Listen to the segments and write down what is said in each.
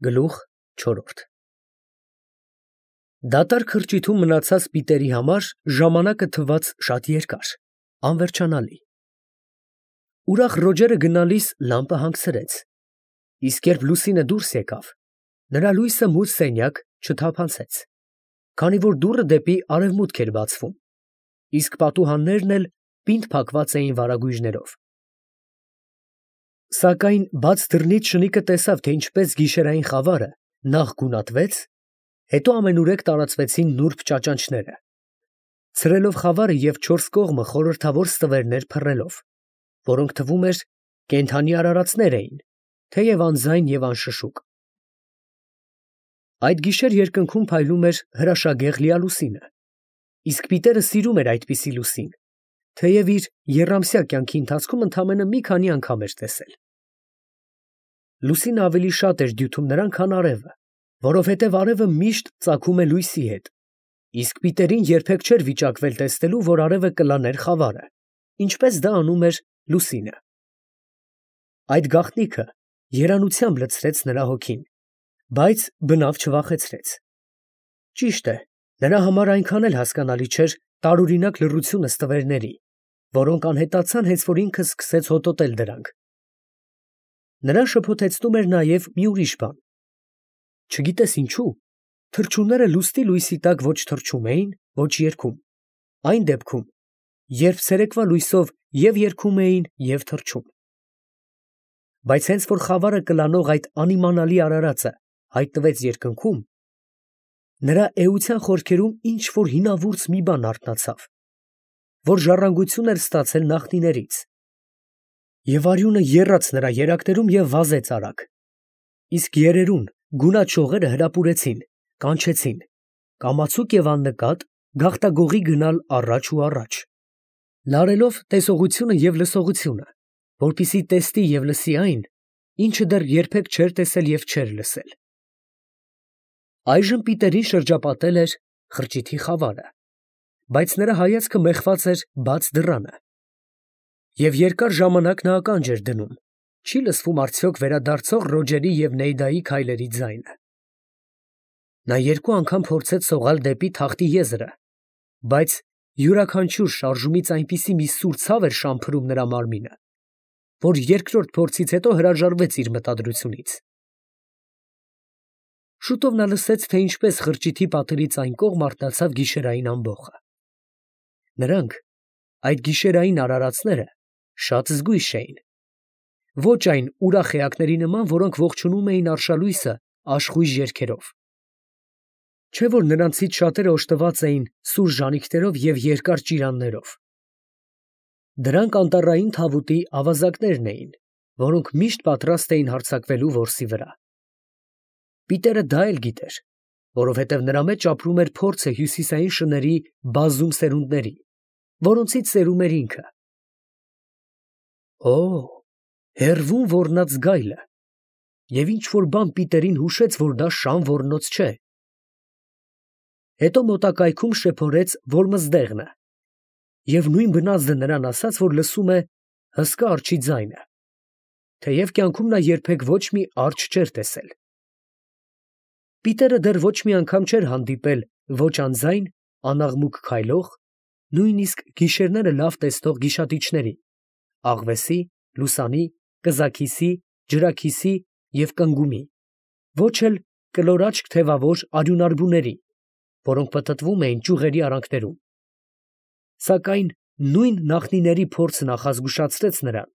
Գլուխ չորրորդ Դատարկ խրճիթում մնացած Պիտերի համար ժամանակը թվաց շատ երկար, անվերջանալի։ Ուրախ Ռոջերը գնալիս լամպը հանգցրեց, իսկ երբ Լուսինը դուրս եկավ, նրա լույսը մութ սենյակ չթափանցեց, քանի որ դուռը դեպի արևմուտք էր բացվում, իսկ պատուհաններն էլ պինդ փակված էին վարագույժներով։ Սակայն բաց դռնից շնիկը տեսավ, թե ինչպես գիշերային խավարը նախ գունատվեց, հետո ամենուրեք տարածվեցին նուրբ ճաճանճները, ցրելով խավարը և չորս կողմը խորհրդավոր ստվերներ փռելով, որոնք թվում էր կենդանի արարածներ էին, թեև անձայն և անշշուկ։ Այդ գիշեր երկնքում փայլում էր հրաշագեղ լիալուսինը, իսկ Պիտերը սիրում էր այդպիսի լուսին, թեև իր եռամսյա կյանքի ընթացքում ընդամենը մի քանի անգամ էր տեսել։ Լուսինը ավելի շատ էր դյութում նրան, քան արևը, որովհետև արևը միշտ ծագում է լույսի հետ, իսկ Պիտերին երբեք չէր վիճակվել տեսնելու, որ արևը կլաներ խավարը, ինչպես դա անում էր լուսինը։ Այդ գաղտնիքը երանությամբ լցրեց նրա հոգին, բայց բնավ չվախեցրեց։ Ճիշտ է, նրա համար այնքան էլ հասկանալի չէր տարօրինակ լռությունը ստվերների, որոնք անհետացան, հենց որ ինքը սկսեց հոտոտել դրանք։ Նրան շփոթեցնում էր նաև մի ուրիշ բան. չգիտես ինչու, թռչունները լուսնի լույսի տակ ոչ թռչում էին, ոչ երգում, այն դեպքում, երբ ցերեկվա լույսով և երգում էին, և թռչում։ Բայց հենց որ խավարը կլանող այդ անիմանալի արարածը հայտնվեց երկնքում, նրա էության խորքերում ինչ֊որ հինավուրց մի բան արթնացավ, որ ժառանգություն էր ստացել նախնիներից, և արյունը եռաց նրա երակներում և վազեց արագ, իսկ երերուն գունատ շողերը հրապուրեցին, կանչեցին, կամացուկ և աննկատ գաղտագողի գնալ առաջ ու առաջ, լարելով տեսողությունը և լսողությունը, որպեսզի տեսնի և լսի այն, ինչը դեռ երբեք չէր տեսել և չէր լսել։ Այժմ Պիտերին շրջապատել էր խրճիթի խավարը, բայց նրա հայացքը մեխված էր բաց դռանը, և երկար ժամանակ նա ականջ էր դնում, չի լսվում արդյոք վերադարձող Ռոջերի և Նեյդայի քայլերի ձայնը։ Նա երկու անգամ փորձեց սողալ դեպի թախտի եզրը, բայց յուրաքանչյուր շարժումից այնպիսի մի սուր ցավ էր շամփրում նրա մարմինը, որ երկրորդ փորձից հետո հրաժարվեց իր մտադրությունից։ Շուտով նա լսեց, թե ինչպես խրճիթի պատերից այն կողմ արթնացավ գիշերային ամբոխը։ Նրանք, այդ գիշերային արարածները, շատ զգույշ էին, ոչ այն ուրախ էակների նման, որոնք ողջունում էին արշալույսը աշխույժ երգերով։ Չէ՞ որ նրանցից շատերը օժտված էին սուր ժանիքներով և երկար ճիրաններով։ Դրանք անտառային թավուտի ավազակներն էին, որոնք միշտ պատրաստ էին հարձակվելու որսի վրա։ Պիտերը դա էլ գիտեր, որովհետև նրա մեջ ապրում էր փորձը հյուսիսային շների բազում սերունդների, որոնցից սերում էր ինքը։ Օ՜, հեռվում ոռնաց գայլը, և ինչ֊որ բան Պիտերին հուշեց, որ դա շան ոռնոց չէ։ Հետո մոտակայքում շեփորեց, որ մզդեղն է, և նույն բնազդը նրան ասաց, որ լսում է հսկա արջի ձայնը, թեև կյանքում նա երբեք ոչ մի արջ չէր տեսել։ Պիտերը դեռ ոչ մի անգամ չէր հանդիպել ոչ անձայն, անաղմուկ քայլող, նույնիսկ գիշերները լավ տեսնող գիշատիչների, աղվեսի, լուսանի, կզաքիսի, ջրաքիսի և կնգումի, ոչ էլ կլորաչք թևավոր արյունարբուների, որոնք պտտվում էին ճյուղերի արանքներում։ Սակայն նույն նախնիների փորձը նախազգուշացրեց նրան,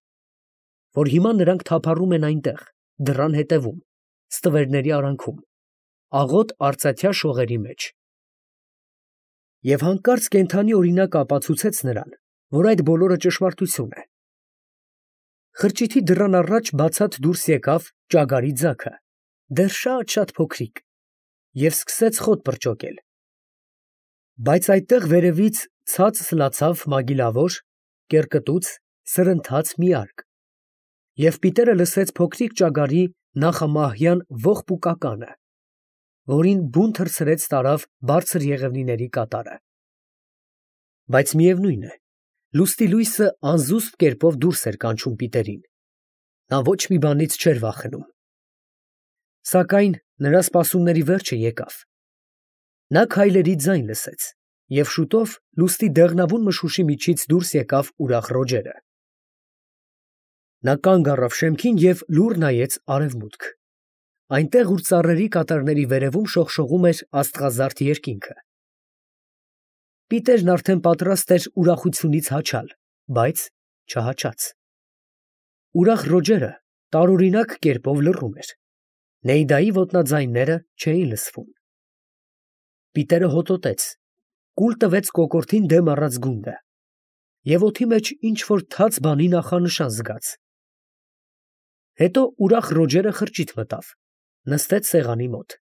որ հիմա նրանք թափառում են այնտեղ, դռան հետևում, ստվերների արանքում, աղոտ արծաթյա շողերի մեջ։ Եվ հանկարծ կենդանի օրինակ ապացուցեց նրան, որ այդ բոլորը ճշմարտություն է։ Խրճիթի դռան առաջ բացատ դուրս եկավ ճագարի ձագը, դեռ շատ փոքրիկ, և սկսեց խոտ պրճոկել։ Բայց այդտեղ վերևից ցած սլացավ մագիլավոր, կեռկտուց, սրընթաց մի արկ, և Պիտերը լսեց փոքրիկ ճագարի նախամահյան ողբուկականը, որին բուն թռցրեց տարավ բարձր եղևնիների կատարը։ Բայց միևնույն է, լուսնի լույսը անզուսպ կերպով դուրս էր կանչում Պիտերին, նա ոչ մի բանից չէր վախենում։ Սակայն նրա սպասումների վերջը եկավ։ Նա քայլերի ձայն լսեց, և շուտով լուսնի դեղնավուն մշուշի միջից դուրս եկավ ուրախ Ռոջերը։ Նա կանգ առավ շեմքին և լուռ նայեց արևմուտք, այնտեղ, ուր ծառերի կատարների վերևում շողշողում էր աստղազարդ երկինքը։ Պիտերն արդեն պատրաստ էր ուրախությունից հաչալ, բայց չհաչաց։ Ուրախ Ռոջերը տարօրինակ կերպով լռում էր։ Նեիդայի ոտնաձայնները չէին լսվում։ Պիտերը հոտոտեց, կուլ տվեց կոկորդին դեմ առած գունդը և օդի մեջ ինչ֊որ թաց բանի նախանշան զգաց։ Հետո ուրախ Ռոջերը խրճիթ մտավ, նստեց սեղանի մոտ,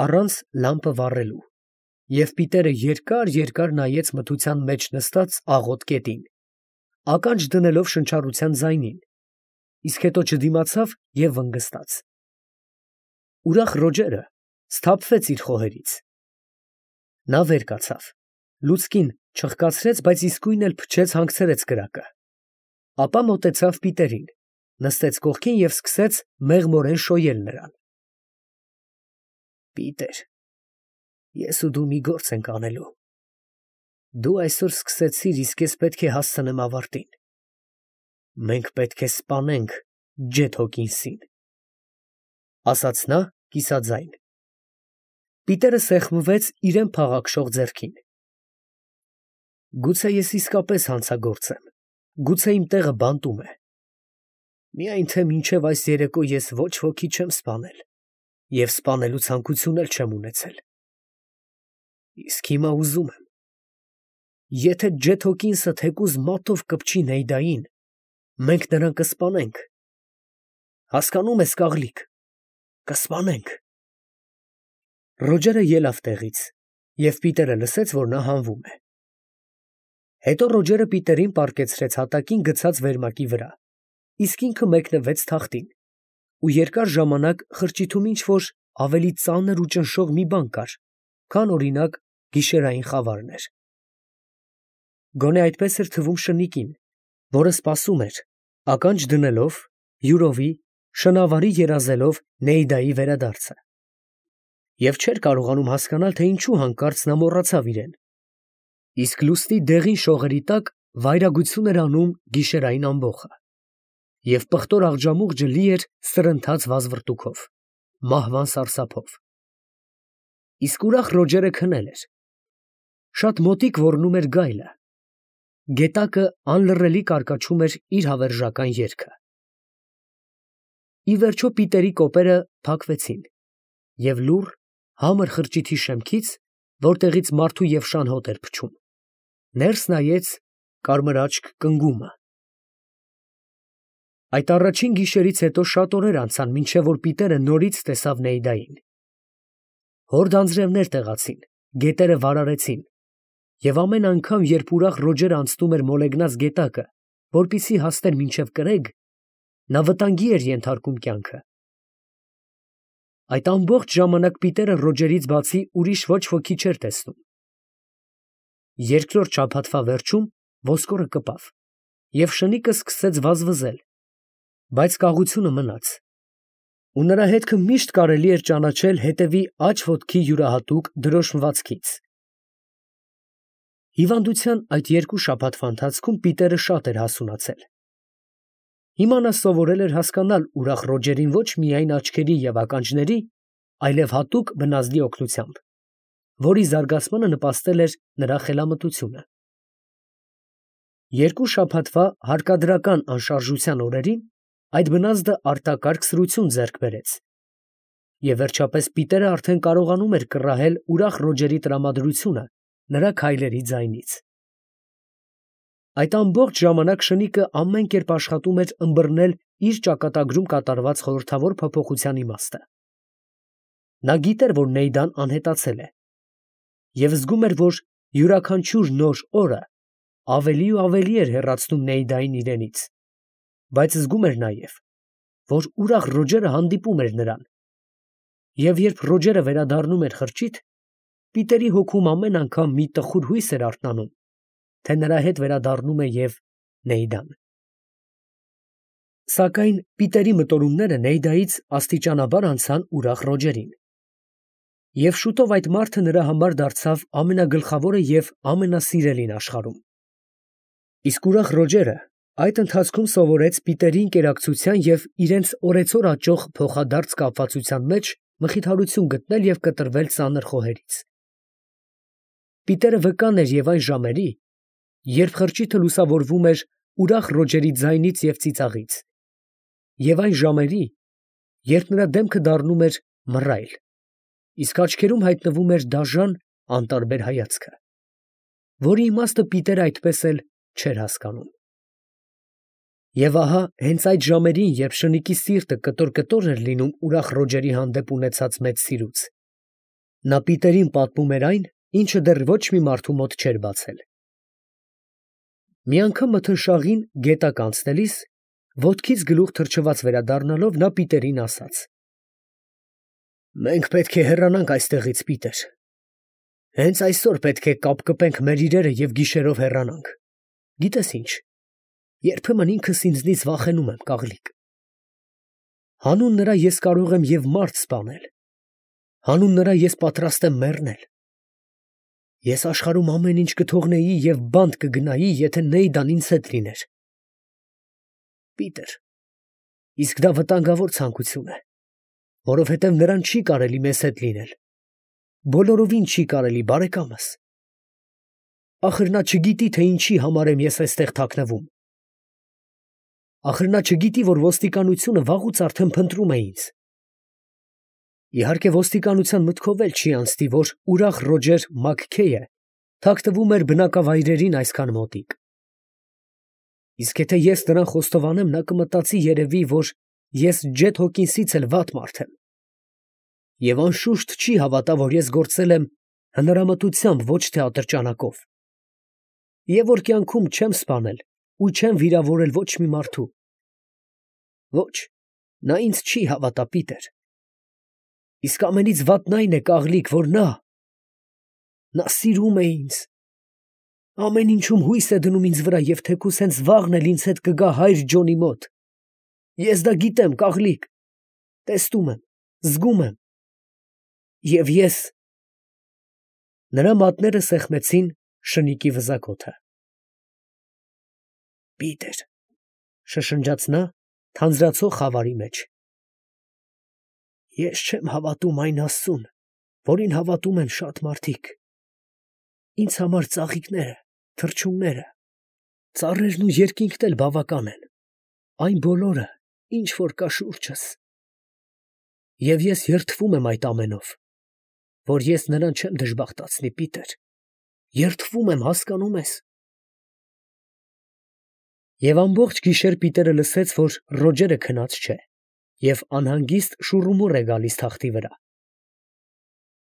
առանց լամպը վառելու, և Պիտերը երկար նայեց մթության մեջ նստած աղոտ կետին, ականջ դնելով շնչառության ձայնին, իսկ հետո չդիմացավ և վնգստաց։ Ուրախ Ռոջերը սթափվեց իր խոհերից։ Նա վեր կացավ, լուցկին չխկացրեց, բայց իսկույն էլ փչեց հանգցրեց կրակը, ապա մոտեցավ Պիտերին, նստեց կողքին և սկսեց մեղմորեն շոյել նրան։ Պիտեր, ես ու դու մի գործ ենք անելու։ Դու այսօր սկսեցիր, իսկ ես պետք է հասցնեմ ավարտին։ Մենք պետք է սպանենք Ջեթ Հոքինսին, ասաց նա կիսաձայն։ Պիտերը սեղմվեց իրան փաղաքշող ձեռքին։ Գուցե ես իսկապես հանցագործ եմ, գուցե իմ տեղը բանտում է։ Միայն թե մինչև այս երեկո ես ոչ ոքի չեմ սպանել և սպանելու ցանկություն էլ չեմ ունեցել։ Իսկ հիմա ուզում եմ։ Եթե Ջեթ Հոքինսը թեկուզ մատով կպչի Նեյդային, մենք նրան կսպանենք։ Հասկանո՞ւմ ես, կաղլիկ, կսպանենք։ Ռոջերը ելավ տեղից, և Պիտերը լսեց, որ նա հանվում է։ Հետո Ռոջերը Պիտերին պառկեցրեց հատակին գցած վերմակի վրա, իսկ ինքը մեկնվեց թախտին, ու երկար ժամանակ խրճիթում ինչ֊որ ավելի ծանր ու ճնշող մի բան կար, քան, օրինակ, գիշերային խավարն էր։ Գոնե այդպես էր թվում շնիկին, որը սպասում էր, ականջ դնելով, յուրովի, շնավարի երազելով Նեյդայի վերադարձը, և չէր կարողանում հասկանալ, թե ինչու հանկարծ նա մոռացավ իրեն, իսկ լուսնի դեղին շողերի տակ վայրագություն էր անում գիշերային ամբոխը, և պղտոր աղջամուղջը լի էր սրընթաց վազվռտուքով, մահվան սարսափով։ Իսկ ուրախ Ռոջերը քնել էր։ Շատ մոտիկ ոռնում էր գայլը։ Գետակը անլռելի կարկաչում էր իր հավերժական երգը։ Ի վերջո Պիտերի կոպերը փակվեցին, և լուռ, համր խրճիթի շեմքից, որտեղից մարդու և շան հոտ էր փչում, ներս նայեց կարմրաճք կնգումը։ Այդ առաջին գիշերից հետո շատ օրեր անցան, մինչև որ Պիտերը նորից տեսավ Նեյդային։ Հորդ անձրևներ տեղացին, գետերը վարարեցին, և ամեն անգամ, երբ ուրախ Ռոջերը անցնում էր մոլեգնած գետակը, որպեսզի հասներ մինչև կրեգ, նա վտանգի էր ենթարկում կյանքը։ Այդ ամբողջ ժամանակ Պիտերը Ռոջերից բացի ուրիշ ոչ ոքի չէր տեսնում։ Երկրորդ շաբաթվա վերջում ոսկորը կպավ, և շնիկը սկսեց վազվզել, բայց կաղությունը մնաց, ու նրա հետքը միշտ կարելի էր ճանաչել հետևի աջ ոտքի յուրահատուկ դրոշմվածքից։ Հիվանդության այդ երկու շաբաթվա ընթացքում Պիտերը շատ էր հասունացել։ Հիմա նա սովորել էր հասկանալ ուրախ Ռոջերին ոչ միայն աչքերի և ականջների, այլև հատուկ բնազդի օգնությամբ, որի զարգացմանը նպաստել էր նրա խելամտությունը։ Երկու շաբաթվա հարկադրական անշարժության օրերին այդ բնազդը արտակարգ սրություն ձեռք բերեց, և վերջապես Պիտերը արդեն կարողանում էր կռահել ուրախ Ռոջերի տրամադրությունը նրա քայլերի ձայնից։ Այդ ամբողջ ժամանակ շնիկը ամեն կերպ աշխատում էր ըմբռնել իր ճակատագրում կատարված խորհրդավոր փոփոխության իմաստը։ Նա գիտեր, որ Նեյդան անհետացել է, և զգում էր, որ յուրաքանչյուր նոր օրը ավելի ու ավելի էր հեռացնում Նեյդային իրենից, բայց զգում էր նաև, որ ուրախ Ռոջերը հանդիպում էր նրան, և երբ Ռոջերը վերադառնում էր խրճիթ, Պիտերի հոգում ամեն անգամ մի տխուր հույս էր արթնանում, թե նրա հետ վերադառնում է և Նեյդան։ Սակայն Պիտերի մտորումները Նեյդայից աստիճանաբար անցան ուրախ Ռոջերին։ Եվ շուտով այդ մարդը նրա համար դարձավ ամենագլխավորը և ամենասիրելին աշխարհում։ Իսկ ուրախ Ռոջերը այդ ընթացքում սովորեց Պիտերի ընկերակցության և իրենց օրեցօր աճող փոխադարձ կապվածության մեջ մխիթարություն գտնել և կտրվել ծանր խոհերից։ Պիտերը վկան էր և այն ժամերի, երբ խրճիթը լուսավորվում էր ուրախ Ռոջերի ձայնից և ծիծաղից, և այն ժամերի, երբ նրա դեմքը դառնում էր մռայլ, իսկ աչքերում հայտնվում էր դաժան, անտարբեր հայացքը, որի իմաստը Պիտերը այդպես էլ չէր հասկանում։ Եվ ահա հենց այդ ժամերին, երբ շնիկի սիրտը կտոր էր լինում ուրախ Ռոջերի հանդեպ ունեցած մեծ սիրուց, նա Պիտերին պատմում էր այն, ինչը դեռ ոչ մի մարդու մոտ չէր բացել։ Մի անգամ մթնշաղին գետակ անցնելիս, ոտքից գլուխ թռչված վերադառնալով, նա Պիտերին ասաց. «Մենք պետք է հեռանանք այստեղից, Պիտեր. հենց այսօր պետք է կապ կպենք մեր իրերը և գիշերով հեռանանք։ Գիտես ինչ, երբեմն ինքս ինձնից վախենում եմ, կաղլիկ։ Հանուն նրա ես կարող եմ և մարդ սպանել, հանուն նրա ես պատրաստ եմ մեռնել։ Ես աշխարհում ամեն ինչ կթողնեի և բանտ կգնայի, եթե Նեյդան ինձ հետ լիներ։ Պիտեր, իսկ դա վտանգավոր ցանկություն է, որովհետև նրան չի կարելի մեզ հետ լինել, բոլորովին չի կարելի, բարեկամս։ Ախր նա չգիտի, թե ինչի համար եմ ես այստեղ թաքնվում։ Ախր նա չգիտի, որ ոստիկանությունը վաղուց արդեն փնտրում է ինձ։ Իհարկե ոստիկանության մտքով էլ չի անցնի, որ ուրախ Ռոջեր Մաքքեյը թաքնվում էր բնակավայրերին այսքան մոտիկ։ Իսկ եթե ես նրան խոստովանեմ, նա կմտածի երևի, որ ես Ջեթ Հոքինսից էլ վատ մարդ եմ։ Եվ անշուշտ չի հավատա, որ ես գործել եմ հնարամտությամբ, ոչ թե ատրճանակով։ Եվ որ կյանքում չեմ սպանել ու չեմ վիրավորել ոչ մի մարդու։ Ոչ, նա ինձ չի հավատա, Պիտեր։ Իսկ ամենից վատն այն է, կաղլիկ, որ նա սիրում է ինձ, ամեն ինչում հույս է դնում ինձ վրա և թեկուզ հենց վաղն էլ ինձ հետ կգա հայր Ջոնի մոտ։ Ես դա գիտեմ, կաղլիկ, տեսնում եմ, զգում եմ։ Եվ ես… Նրա մատները սեղմեցին շնիկի վզակոթը։ Պիտեր, շշնջաց նա թանձրացող խավարի մեջ, ես չեմ հավատում այն Աստծուն, որին հավատում են շատ մարդիկ։ Ինձ համար ծաղիկները, թռչունները, ծառերն ու երկինքն էլ բավական են, այն բոլորը, ինչ որ կա շուրջս։ Եվ ես երդվում եմ այդ ամենով, որ ես նրան չեմ դժբախտացնի, Պիտեր, երդվում եմ, հասկանում ես։ Եվ ամբողջ գիշեր Պիտերը լսեց, որ Ռոջերը քնած չէ և անհանգիստ շուռումուռ է գալիս թախտի վրա։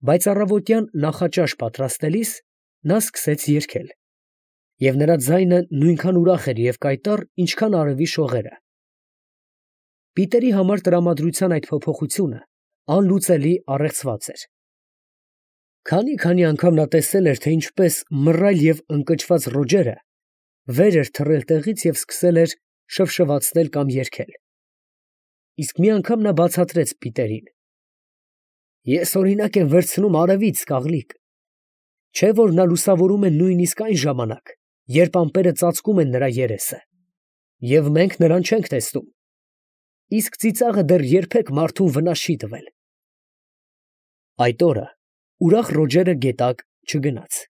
Բայց առավոտյան նախաճաշ պատրաստելիս նա սկսեց երգել, և նրա ձայնը նույնքան ուրախ էր և կայտառ, ինչքան արևի շողերը։ Պիտերի համար տրամադրության այդ փոփոխությունը անլուծելի առեղծված էր։ Քանի անգամ նա տեսել էր, թե ինչպես մռայլ և ընկճված Ռոջերը վեր էր թռել տեղից և սկսել էր շվշվացնել կամ երգել։ Իսկ մի անգամ նա բացատրեց Պիտերին. Ես օրինակ եմ վերցնում արևից, կաղլիկ, չէ՞ որ նա լուսավորում է նույնիսկ այն ժամանակ, երբ ամպերը ծածկում են նրա երեսը, և մենք նրան չենք տեսնում, իսկ ծիծաղը դեռ երբեք մարդուն վնաս չի տվել։ Այդ օրը ուրախ Ռոջերը գետակ չգնաց։